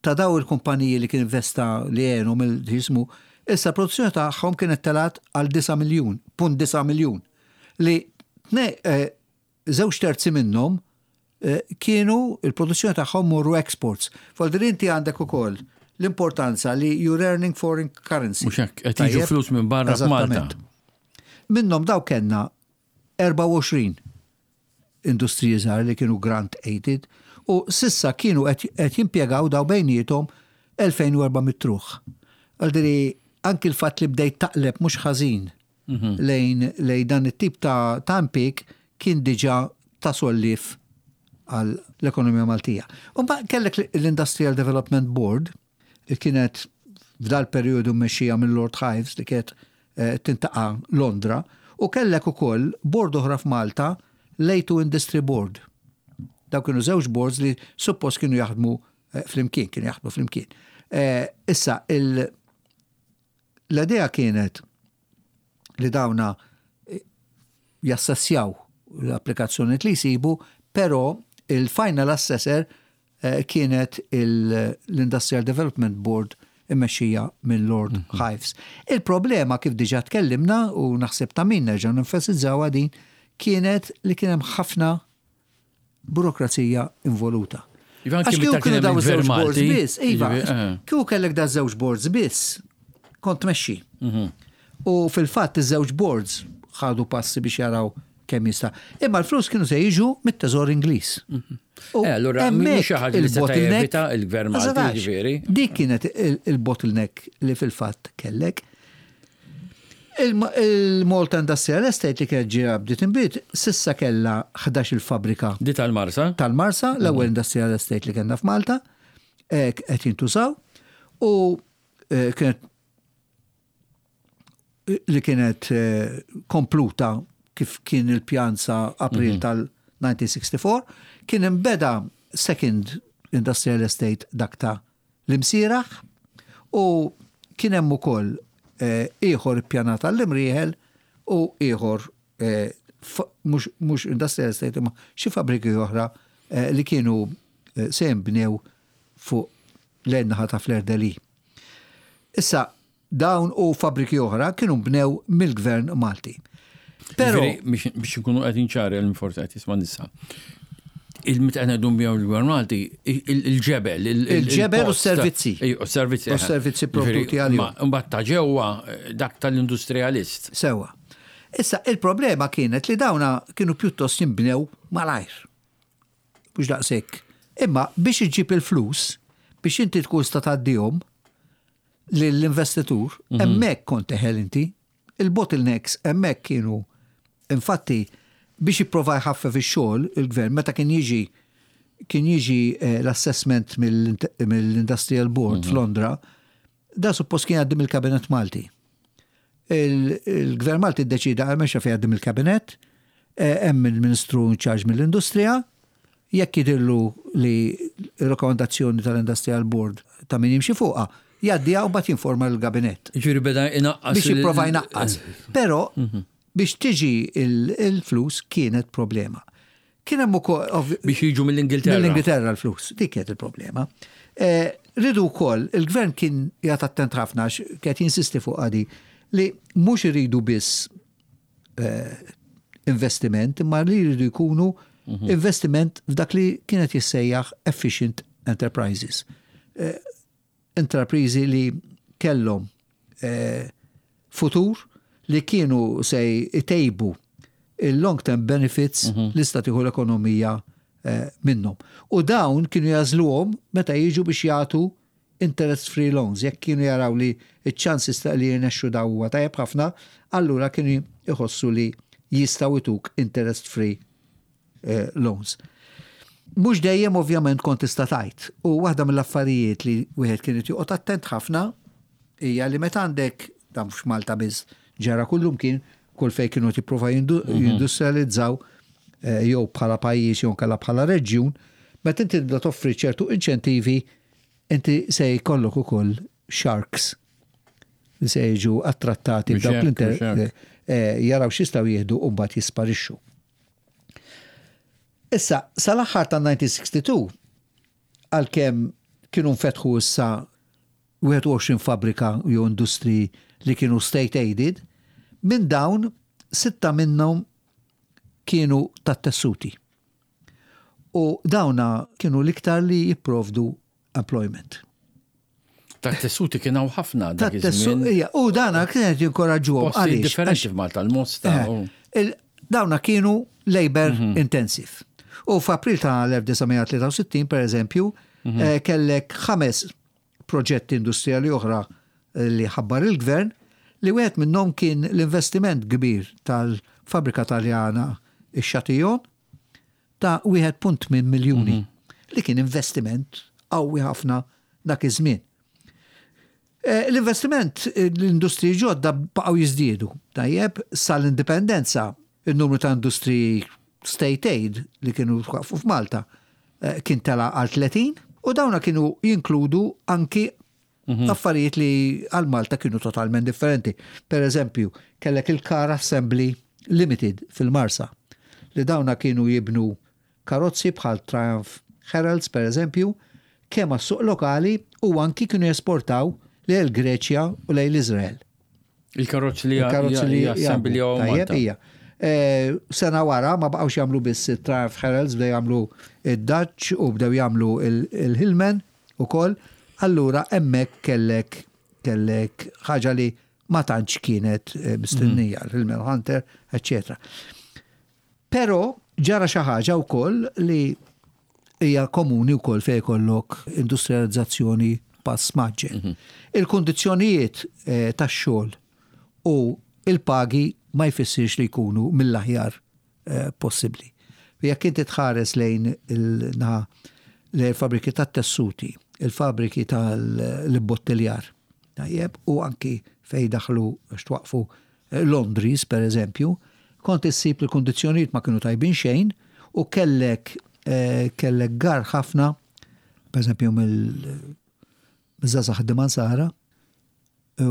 ta' daw il-kumpaniji li kien investa li għenu mill-ġismu, issa produzzjoni tagħhom kienet telat għal 9 miljun, punt 9 miljun. Li eh, Żewġ terzi minnhom kienu il-produzzjoni tagħhom morru exports. Voldir inti għandek ukoll l-importanza li you're earning foreign currency. Mhux hekk, qed jiġu flus minn barra f'Malta. Minnhom daw kellna 24 industriji żgħar li kienu grant aided u sissa kienu qed jimpjegaw daw bejniethom 2400 ruħ. Għaldiri anki l-fatt li bdejt taqleb mhux ħażin lejn lejn dan it-tip ta' ta' impjieg kien diġà ta' solliev għal l-ekonomija Maltija. U mbagħad kellek l-Industrial Development Board li kienet f'dal perjodu mmexxija minn Lord Hives li kienet eh, tintaqa' Londra u kellek ukoll board oħra f'Malta l-A2 Industry Board. Daw kienu żewġ boards li suppost kienu jaħdmu eh, flimkien, kienu jaħdmu flimkien. Eh, issa il L-idea kienet li dawna jassessjaw l-applikazzjonijiet li jsibu, però il-final assessor kienet l-Industrial Development Board immexxija minn Lord Hives. Il-problema kif diġà tkellimna u naħseb ta' min nerġgħu nenfasizzawha din kienet li kien hemm ħafna burokrazija involuta. Iva, Għax anki kieku meta kienu kien hemm daw il-Gvern iż-żewġ boards Malti, biss, iva, jiġifieri, eh. kieku kellek da żewġ boards biss, kont tmexxi. U fil-fatt iż-żewġ boards ħadu passi biex jaraw kemm jista'. Imma l-flus kienu se jiġu mit-Teżor Ingliż. U Eh, allura mhix xi ħaġa li seta' il-bottleneck jevita il-Gvern ma Malti, setax. jiġifieri. Dik kienet il-bottleneck li fil-fatt kellek. Il-Malta Industrial Estate li kienet ġira bdiet inbid, sissa kellha 11 il-fabrika Di tal-Marsa? tal-Marsa, l-ewwel industrial estate li kellna f'Malta, qed jintużaw u kienet li kienet kompluta kif kien il-pjan sa April tal-1964, kien imbeda second industrial estate dak ta' l-Imsieraħ u kien hemm ukoll ieħor ippjanat għall-Imrieħel u ieħor mhux industrial estate imma xi fabbriki oħra li kienu se jinbnew fuq lejn naħa ta' Fleur de Lys. Issa dawn u fabbriki oħra kienu nbnew mill-Gvern Malti. Però Jiġifieri, biex inkunu qegħdin ċari għal min forsi qed jisma' nisa. Il-meta qed ngħidu nbnew il-Gvern Malti, il-ġebel, Il-ġebel u il-post. s-servizzi. Ej, u s-servizzi, U s-servizzi eh. provduti Jiġifieri, għalihom. ma mbagħad ta' ġewwa dak tal-industrialist. Sewwa. Issa, il-problema kienet li dawna kienu pjuttost jinbnew malajr. Mhux daqshekk. Imma biex iġġib il-flus, biex inti tkun sta tgħaddihom lill-investitur, hemmhekk kont teħel inti. Il-bottlenecks hemmhekk kienu, infatti, biex jipprova jħaffef ix-xogħol il-gvern meta kien jiġi kien jiġi l-assessment mill-Industrial Board f'Londra, da suppost kien jgħaddi mill-Kabinett Malti. Il-Gvern Malti ddeċida għal mexa fejn jgħaddi mill-Kabinett, hemm il-Ministru in charge mill-Industrija, jekk jidhirlu li r-rakkomandazzjoni tal-Industrial Board ta' min jimxi fuqha, jgħaddiha u mbagħad jinforma l-Gabinett. Jiġifieri beda jnaqqas Biex jipprova jnaqqas. Però biex tiġi il-flus kienet problema. Kien hemm ukoll Biex jiġu mill-Ingilterra. Mill-Ingilterra l-flus, dik kienet il-problema. Ridu wkoll, il-gvern kien jagħti attent ħafna għax kien jinsisti fuq għadi li mhux iridu biss investiment, imma li jridu jkunu investiment f'dak li kienet jissejjaħ efficient enterprises. Enterprizi li kellhom futur li kienu se jtejbu il-long term benefits li sta tieħu l-ekonomija minnhom. U dawn kienu jażluhom meta jiġu biex jagħtu interest free loans. Jekk kienu jaraw li ċ-chances ta' li jirnexxu daw huwa tajjeb ħafna, allura kienu jħossu li jistgħu jtuk interest free loans. Mhux dejjem ovvjament kont tista' tgħid. U waħda mill-affarijiet li wieħed kien joqgħod attent ħafna hija li meta għandek dan mhux Malta biss ġara kullum kien kull fejn kienu tipprova jindustrializzaw jew bħala pajjiż jew nkella bħala reġjun, meta inti tibda toffri ċertu inċentivi, inti se jkollok ukoll sharks li se jiġu attrattati Mhux b'dawk hekk, l-inter- mhux hekk. jaraw x'jistgħu jieħdu u mbagħad jisparixxu. Issa, sal-aħħar ta' 1962, għalkemm kienu nfetħu issa 21 fabbrika jew industri li kienu state aided, minn dawn 6 minnhom kienu tat-tessuti. U dawna kienu l-iktar li jipprovdu employment. Tat-tessuti kien hawn ħafna dak Tat-tessu- iż-żmien. ija, u dana kienet jinkoraġġuhom Posti għaliex? differenti f'Malta, l-Mosta u- Dawna kienu labor intensive. U f'April ta' l-1963, per eżempju, kellek 5 proġetti industrijali oħra li ħabbar il-gvern, li wieħed minnhom kien l-investiment kbir tal-fabrika taljana ix-Chatillon ta' 1.8 miljuni, li kien investiment qawwi ħafna dak iż-żmien. L-investiment, l-industriji ġodda baqgħu jiżdiedu. Tajjeb, sal-indipendenza, il-numru ta' industriji state aid li kienu waqfu f'Malta kien tela għal 30, u dawna kienu jinkludu anki affarijiet li għal Malta kienu totalment differenti. Per eżempju, kellek il-Car Assembly Limited fil-Marsa, Li dawna kienu jibnu karozzi bħal Triumph Heralds per eżempju, kemm għas-suq lokali u anki kienu jesportaw lejn il-Greċja u lejn l-Iżrael. Il-karozzi li il-karozzi li jassembljaw Tajjeb hija. Eh, sena wara ma baqgħux jagħmlu biss it-Triumph Heralds bdew jagħmlu id-Dutch u bdew jagħmlu il-Hillman ukoll. Allura hemmhekk kellek kellek ħaġa li ma tantx kienet eh, mistennija, mhm. l-Hillman Hunter, eccetera. Però ġara xi ħaġa wkoll li hija komuni wkoll fejn ikollok industrializzazzjoni pass mgħaġġel. Mhm. Il-kundizzjonijiet eh, tax-xogħol u il-pagi ma jfissirx li jkunu mill-aħjar eh, possibbli. Jekk inti tħares lejn il-naħa lejn il-fabriki tat-tessuti, il-fabriki tal-ibbottiljar, tajjeb, u anki fejn daħlu għax twaqfu Londris, per eżempju, kont issib li l-kundizzjonijiet ma kienu tajbin xejn u kellek eh, kellek gar ħafna, per eżempju mill-żgħażagħ Dimansara, u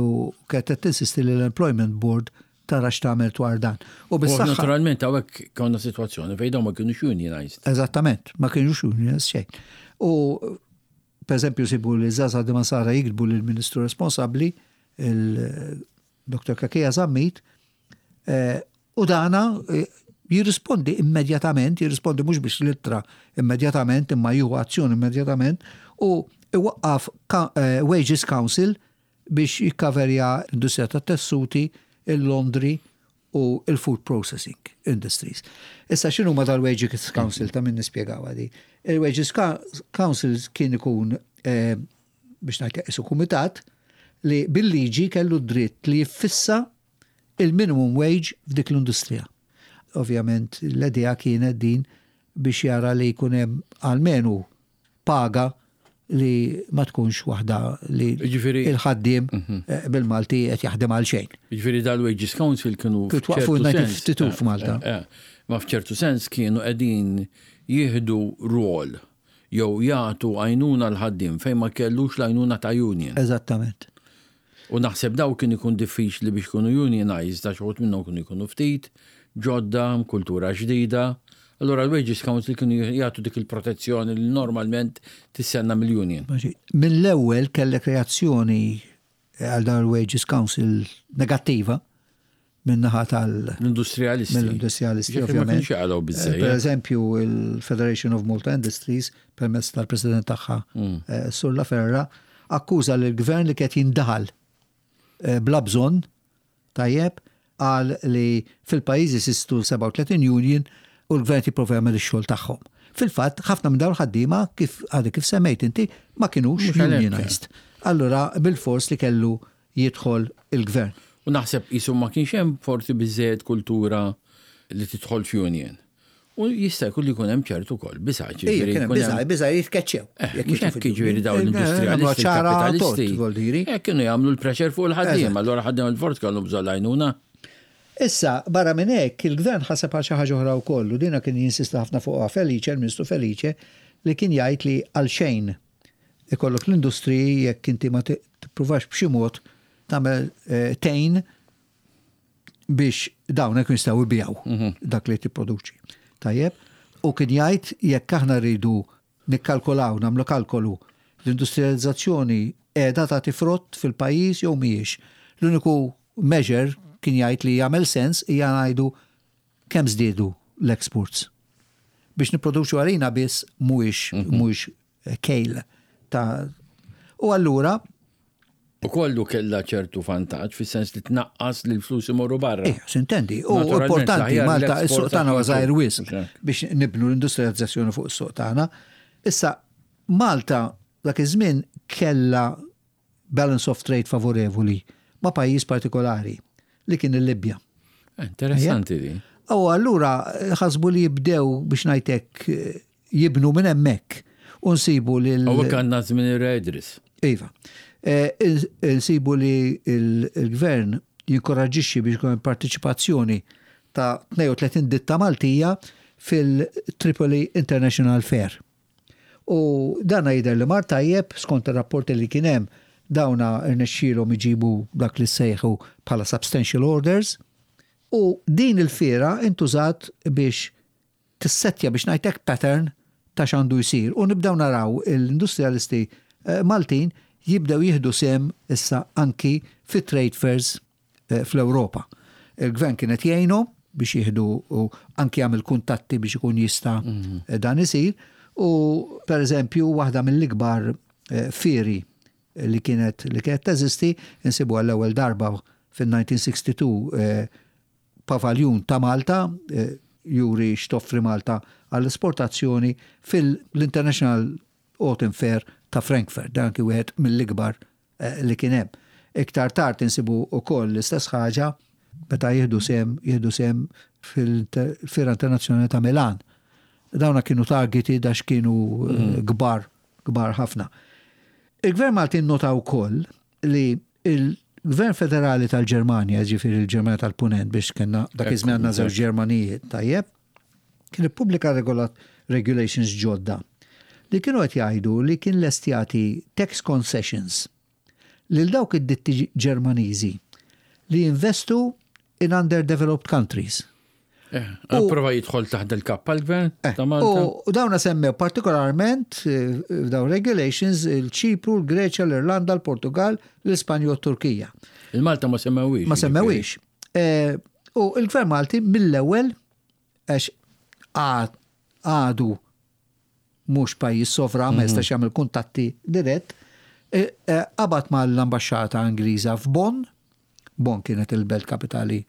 kienet qed tinsisti li l-Employment Board tara x'tagħmel dwar dan. U bis-saħħa. Naturalment hawnhekk konna sitwazzjoni fejn dawn ma kienux unionized. Eżattament, ma kienux unionized xejn. U per eżempju sibu li żgħażagħ Dimansara jiktbu lill-Ministru responsabbli Dr. Cachia Zammit, u dana jirrispondi immedjatament, jirrispondi mhux biex l-ittra immedjatament, imma jieħu azzjoni immedjatament, u iwaqqaf Wages Council biex jikkaverja l-industrija tat-tessuti, il-laundry u il-food processing industries. Issa x'inhuma dal-Wages Council ta' min nispjegawha di. Il-Wages Council kien ikun biex ngħid qisu kumitat li bil-liġi kellu d-dritt li jiffissa il-minimum wage f'dik l-industrija. Ovvjament l-idea kienet din biex jara li jkun hemm almenu paga li ma tkunx waħda li il-ħaddiem mhm. eh, bil-Malti qed jaħdem għal xejn. Jiġifieri dal-Wages Council kienu twaqfu 1952 f'Malta. Eh, eh, ma f'ċertu sens kienu qegħdin jieħdu rwol jew jagħtu għajnuna l-ħaddiem fejn ma kellux l-għajnuna ta' union. Eżattament. U naħseb dawn kien ikun diffiċli biex ikunu unionized għax uħud minnhom kienu jkunu ftit, ġodda, kultura ġdida. Allura l-Wages Council kienu jagħtu dik il-protezzjoni li normalment tistenna mill-union. Mill-ewwel kellek reazzjoni għal dan il-Wages Council negattiva min-naħa tal- L-industrialisti. Mill-industrialisti, ovvjament. Eh, per eżempju, il-Federation of Malta Industries, permezz tal-president tagħha, mm. eh, Sur La Ferra, akkuża l-gvern li qed jindaħal eh, bla bżonn tajjeb qal li fil-pajjiż jeżistu 37 union u l-gvern qed jipprova jagħmel ix-xogħol tagħhom. Fil-fatt, ħafna minn dawn il-ħaddiema, kif għadek kif semmejt inti, ma kinux unionized. Allura bilfors li kellu jidħol il-gvern. U naħseb qisu ma kienx hemm forsi biżżejjed kultura li tidħol f'union. U jista' jkun li jkun hemm ċertu wkoll biża'. Ija, kien hemm biża', biża' jitkeċċew. Eh, mhux hekk jiġifieri dawn l-industrialisti kapitalisti. Hekk kienu jagħmlu l-pressure fuq il-ħaddiem, allura ħaddiem il-fort kellhom bżonn l-għajnuna. Issa, barra minn hekk, il-gvern ħaseb għal xi ħaġa oħra wkoll, u dina kien jinsisti ħafna fuqha Felice, il-Ministru Felice, li kien jgħid li għalxejn ikollok l-industriji jekk inti ma tippruvax b'xi mod tagħmel eh, tgħin biex dawn jkun jistgħu jbigħu mhm. dak li tipproduċi. Tajjeb, u kien jgħid jekk aħna rridu nikkalkulaw, nagħmlu kalkolu, l-industrializzazzjoni qiegħda tagħti frott fil-pajjiż jew mhijiex. L-uniku measure kien jgħid li jagħmel sens hija ngħidu kemm żdiedu l-exports. Biex nipproduċu għalina biss mhuwiex mhm. mhuwiex kejl ta' U allura U kollu kella ċertu vantaġġ fis-sens li tnaqqas li l-flus imorru barra. Eh, sintendi. U importanti Malta is-suq tagħna huwa żgħir wisq biex nibnu l-industrializzazzjoni fuq is-suq tagħna. Issa Malta dak iż-żmien kellha balance of trade favorevoli ma' pajjiż partikolari li kien il-Libja. Interessanti di. U allura ħasbu li jibdew biex ngħidlek jibnu minn hemmhekk u nsibu li. Hawnhekk għandna żmien ir-Re Idris. Iva. Eh, nsibu li l-gvern jinkoraġġixxi biex ikun partiċipazzjoni ta' 32 ditta Maltija fil-Tripoli International Fair. U dana jidher li mar tajjeb skont ir-rapporti li kien hemm dawna rnexxielhom iġibu dak li sejħu bħala substantial orders. U din il-fiera intużat biex tissettja biex ngħidlek pattern ta' x'għandu jsir u nibdew naraw l-industrialisti eh, Maltin jibdew jieħdu sehem issa anki fit trade fairs eh, fl-Ewropa. Il-gvern kien qed jgħinhom biex jieħdu u anki jagħmel kuntatti biex ikun jista' mhm. eh, dan isir. U per eżempju waħda mill-ikbar fieri li kienet li kienet teżisti insibu għall-ewwel darba fin-1962 pavaljun ta' Malta juri x'toffri Malta għall-esportazzjoni fil-International Autumn Fair ta' Frankfurt, dan kien wieħed mill-ikbar eh, li kien hemm. Iktar tard insibu wkoll l-istess ħaġa meta jieħdu sehem jieħdu sehem fil-Fiera Internazzjonali ta' Milan. Dawna kienu targeti dax kienu eh, mm. kbar, kbar ħafna. Il-Gvern Malti nnota wkoll li il-Gvern Federali tal-Ġermanja, ġifieri l-Ġermanja tal-Punent biex kellna dak iż-żmien għandna żewġ Ġermanijiet, tajjeb, kien ippubblika regulations ġodda li kienu qed jgħidu li kien lest jagħti tax concessions lil dawk id-ditti Ġermaniżi li jinvestu in underdeveloped countries. Eh, prova jidħol taħt il-kappa l-gvern eh, ta' Malta. U dawna semmew partikolarment eh, f'dawn regulations il-Ċipru, l-Greċja, l-Irlanda, l-Portugal, l-Ispanja u t-Turkija. Il-Malta ma semmewix. Ma semmewix. U il-gvern Malti mill-ewwel għax għadu mhux pajjiż sovran ma jistax jagħmel kuntatti dirett, qabad mal-ambaxxata Ingliża f'Bonn, Bonn kienet il-belt kapitali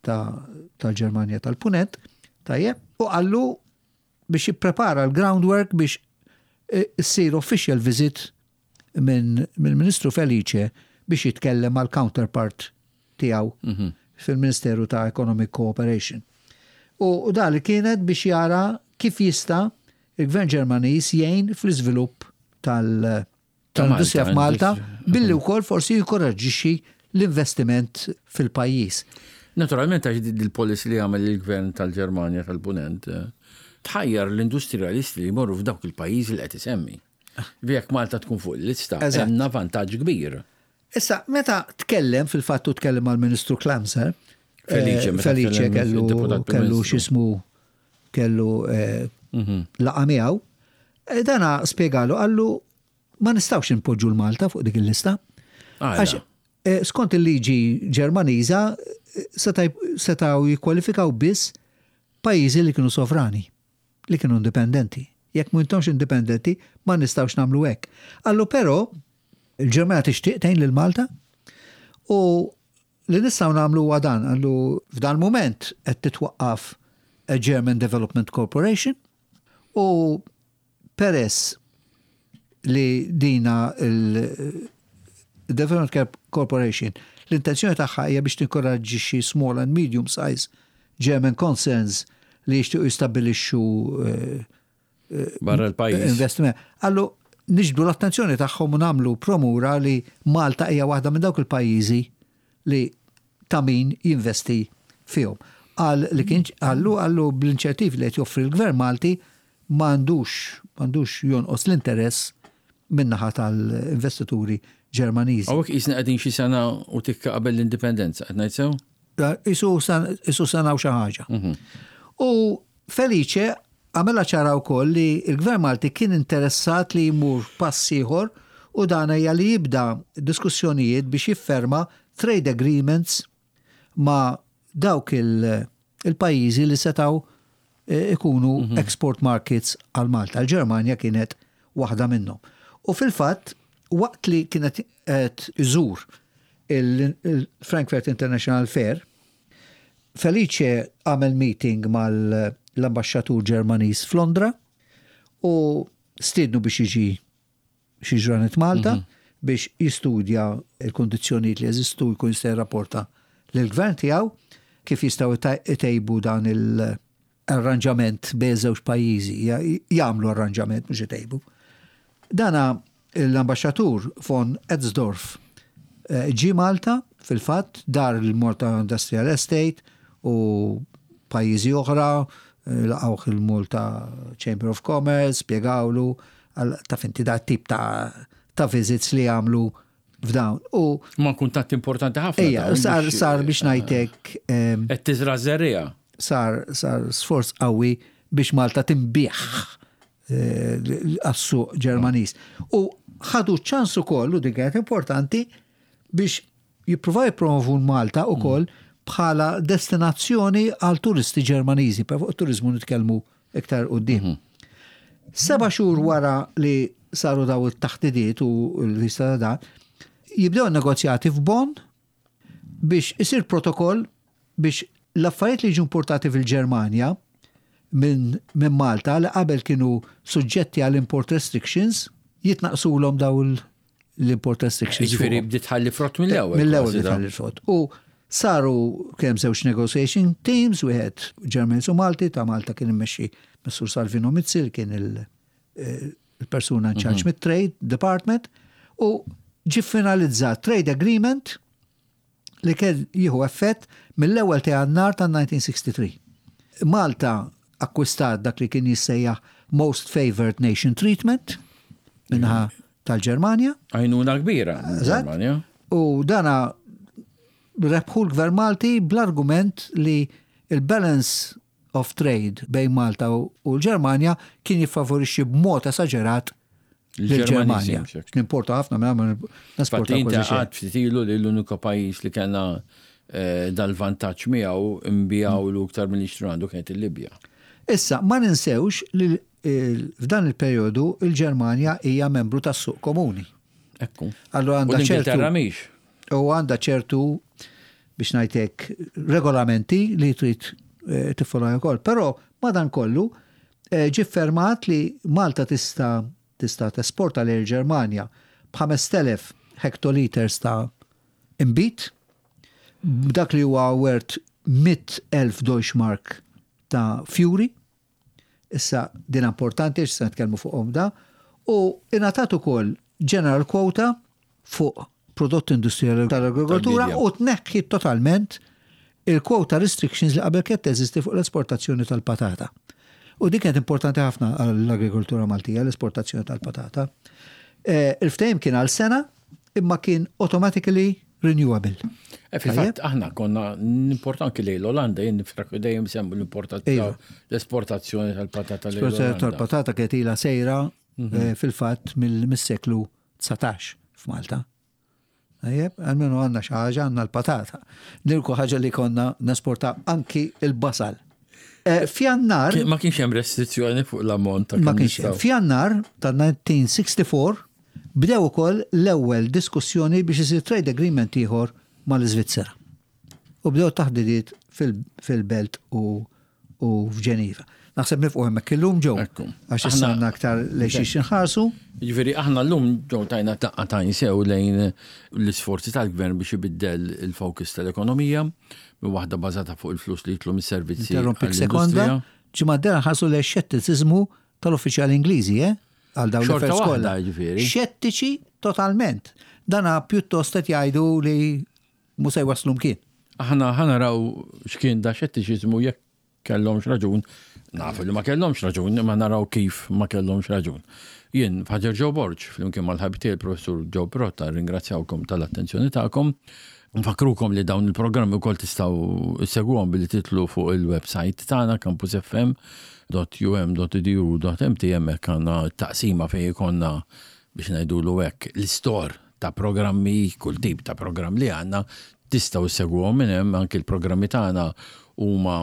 tal-Ġermanja tal-Punent, tajjeb, u qallu biex jipprepara l-groundwork biex issir official visit minn mill-Ministru Felice biex jitkellem mal-counterpart tiegħu mhm. fil-Ministeru ta' Economic Cooperation. U dan li kienet biex jara kif jista' il-Gvern Ġermaniż jgħin fl-iżvilupp tal- tal-industrija f'Malta billi wkoll forsi jinkoraġġixxi l-investiment fil-pajjiż. Naturalment għax il-policy li għamel il-gvern tal-Ġermanja tal-Punent eh, tħajjar l-industrialisti li jmorru f'dawk il-pajjiżi li qed isemmi. Jekk Malta tkun fuq il-lista, għandna vantaġġ kbir. Issa, meta tkellem, fil-fatt hu tkellem mal-Ministru Klamser, Felice, eh, Felice kellu kellu x'ismu kellu eh, mhm. laqa miegħu, eh, dana spjegalu qallu ma nistgħux inpoġġu l-Malta fuq dik il-lista. Għax skont il-liġi Ġermaniża setgħu jikkwalifikaw biss pajjiżi li kienu sovrani. li kienu indipendenti. Jekk m'intomx indipendenti, ma nistgħux nagħmlu hekk. Qallu però il-Ġermanja tixtieq tgħin lil Malta u li nistgħu nagħmlu huwa dan, qallu f'dan mument qed titwaqqaf a German Development Corporation u Peress li dina il-Development Corporation l-intenzjoni tagħha hija biex tinkoraġġixxi small and medium size German concerns li jixtiequ jistabbilixxu eh, eh, barra l-pajjiż. Investiment. Allu niġbdu l-attenzjoni tagħhom u nagħmlu promura li Malta hija waħda minn dawk il-pajjiżi li ta' min jinvesti fihom. Qal li kien qallu qallu bl-inċertiv li qed joffri l-Gvern Malti m'għandux m'għandux jonqos l-interess min-naħa tal-investituri Ġermaniżi. Hawnhekk qisna qegħdin xi sena u tikka qabel l-indipendenza, qed ngħid sew? Qisu sena u xi ħaġa. Mhm. U Felice għamilha ċara wkoll li l-Gvern Malti kien interessat li jmur pass ieħor u dan hija li jibda diskussjonijiet biex jifferma trade agreements ma' dawk il-pajjiżi li setgħu eh, ikunu mhm. export markets għal Malta. Il-Ġermanja kienet waħda minnhom. U fil-fatt, waqt li kienet qed iżur il-Frankfurt International Fair, Felice għamel meeting mal-ambaxxatur Ġermaniż f'Londra u stiednu biex jiġi xi ġranet Malta mhm. biex jistudja l-kundizzjonijiet li jeżistu jkun jista' jirrapporta lill-gvern tiegħu kif jistgħu itejbu dan il-arranġament bejn żewġ pajjiżi, jagħmlu arranġament mhux itejbu. Dana l-ambaxxatur von Etzdorf eh, ġie Malta fil-fatt dar il-Malta Industrial Estate u pajjiżi oħra eh, laqgħuh il-Malta Chamber of Commerce, spjegawlu Taf inti da tip ta' ta' visits li għamlu f'dawn. U Ma kuntatt importanti ħafna. Ejja, sar sar biex ngħidlek. Qed tiżra' żerriegħa. Sar sar sforz qawwi biex Malta tinbiegħ għas-suq Ġermaniż. U ħadu ċans ukoll, u din kienet importanti, biex jippruvaw jippromovu Malta ukoll bħala destinazzjoni għal turisti Ġermaniżi, per fuq turizmu nitkellmu iktar quddiem. 7 xhur wara li saru daw it-taħdidiet u l-lista ta' dan, jibdew negozjati f'Bonn biex isir protokoll biex l-affarijiet li jiġu importati fil-Ġermanja minn min Malta li qabel kienu suġġetti għal import restrictions jitnaqsulhom daw l-import restrictions. Ġifieri bdiet tħalli frott mill-ewwel. Mill-ewwel bdiet tħalli frott. U saru kemm żewġ negotiation teams, wieħed Ġermaniż u Malti, ta' Malta kien immexxi Messur Salvino Mizzi li kien il-persuna in charge mit-Trade Department u ġi finalizzat trade agreement li kien jieħu effett mill-ewwel ta' Jannar ta' 1963. Malta akkwistat dak li kien jissejjaħ Most Favored Nation Treatment minnaħa tal-Ġermanja. Għajnuna kbira Ġermanja. U dana rebħu l-Gvern Malti bl-argument li il-balance of trade bejn Malta u l-Ġermanja kien jiffavorixxi b'mod esaġerat l-Ġermanja. Nimporta ħafna minn nesporta kważi xejn. Għad ftit ilu li l-unika pajjiż li kellna eh, dal-vantaġġ miegħu imbijawlu iktar milli xtru għandu kienet il-Libja. Issa, ma ninsewx li f'dan il-perjodu il-Ġermanja hija membru tas-suq komuni. Ekku. Allura għandha ċertu. U għandha ċertu biex ngħidlek regolamenti li trid eh, tiffollow ukoll. Però madankollu eh, ġie fermat li Malta tista' tista' tesporta lejn il-Ġermanja b'5000 hektoliters ta' inbid, b'dak li huwa worth 100,000 Deutschmark ta' fjuri. Issa din importanti għax se nitkellmu fuqhom da. U ingħatat ukoll general quota fuq prodotti industrijali tal-agrikoltura u tneħħi totalment il-quota restrictions li qabel kienet teżisti fuq l-esportazzjoni tal-patata. U din kienet importanti ħafna għall-agrikoltura Maltija, l-esportazzjoni tal-patata. Eh, il-ftehim kien għal sena imma kien automatically renewable. Eh, fil-fatt aħna konna nimportaw anki lejn l-Olanda, jien niftakru dejjem semmu l-importazzjoni, iva. l-esportazzjoni tal-patata lejn l-Olanda. Tal-patata kienet ilha sejra mhm. eh, fil-fatt mill-seklu 19 f'Malta. Tajjeb, għalmenu għandna xi ħaġa għandna l-patata. Nilku ħaġa li konna nesporta anki il-basal. Eh, f'Jannar. Ma kienx hemm restrizzjoni fuq l-ammont ta' Ma kienx hemm. F'Jannar ta' 1964 bdew ukoll l-ewwel diskussjoni biex isir trade agreement ieħor mal-Iżvizzera. U bdew taħdidiet fil-belt u f'Ġeniva. Naħseb nifqu hemmhekk illum ġew. Għax issa għandna aktar lejn xiex inħarsu. Jiġifieri aħna llum ġew tajna daqqa tajn sew lejn l-isforzi tal-gvern biex ibiddel il-focus tal-ekonomija minn waħda bażata fuq il-flus li jitlu mis-servizzi. Interrompik sekonda, ġimgħa d-dieħla nħarsu lejn xettiċiżmu tal-uffiċjali Ingliżi, eh? Għal dawn l-affarijiet kollha. Jiġifieri. Xettiċi totalment. Dana pjuttost qed jgħidu li mhu se jwasslu mkien. Aħna ħa naraw x'kien da xettiċiżmu jekk kellhomx raġun. Nafu li ma kellhomx raġun, imma naraw kif ma kellhomx raġun. Jien, Father Joe Borg, flimkien mal-ħabib tiegħi il-Professur Joe Pirotta, ringrazzjawkom tal-attenzjoni tagħkom. Nfakkrukom li dawn il-programmi wkoll tistgħu ssegwuhom billi titlu fuq il-website tagħna campusfm.um.edu.mt hemmhekk għandna t-taqsima fejn ikollna biex ngħidulu hekk l-istor ta' programmi, kull tip ta' programm li għandna tistgħu ssegwuhom minn hemm anki l-programmi tagħna huma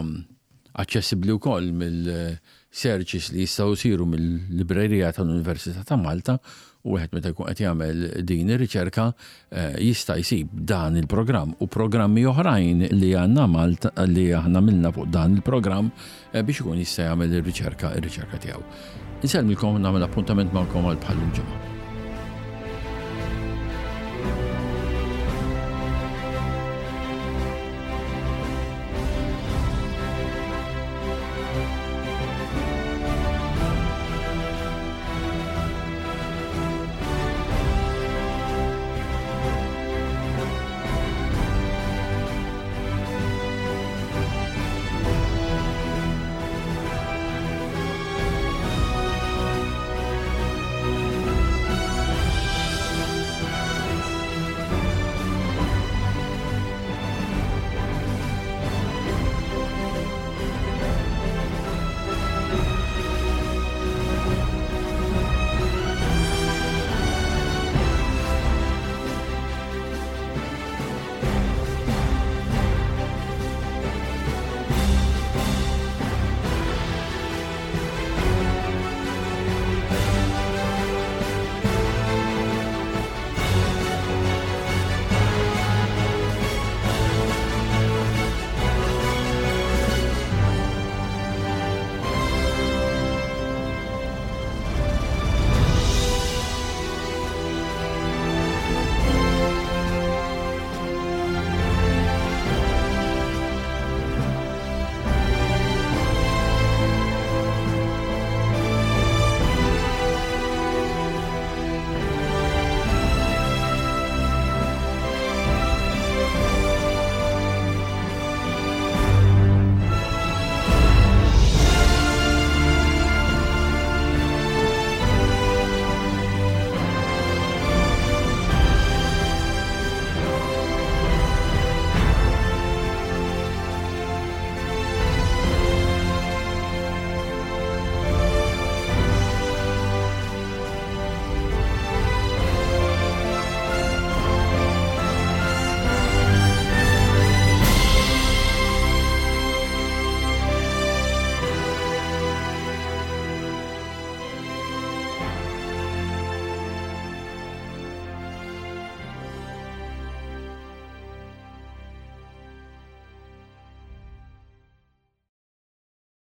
aċċessibbli wkoll mill-searches li jistgħu jsiru mill-librerija tal-Università ta' Malta u wieħed meta jkun qed jagħmel din ir-riċerka eh, jista' jsib dan il-programm u programmi oħrajn li għandna Malta li aħna milna fuq dan il-programm eh, biex ikun jista' jagħmel ir-riċerka ir-riċerka tiegħu. Insellmilkom nagħmel appuntament magħkom għal bħal ġimgħa.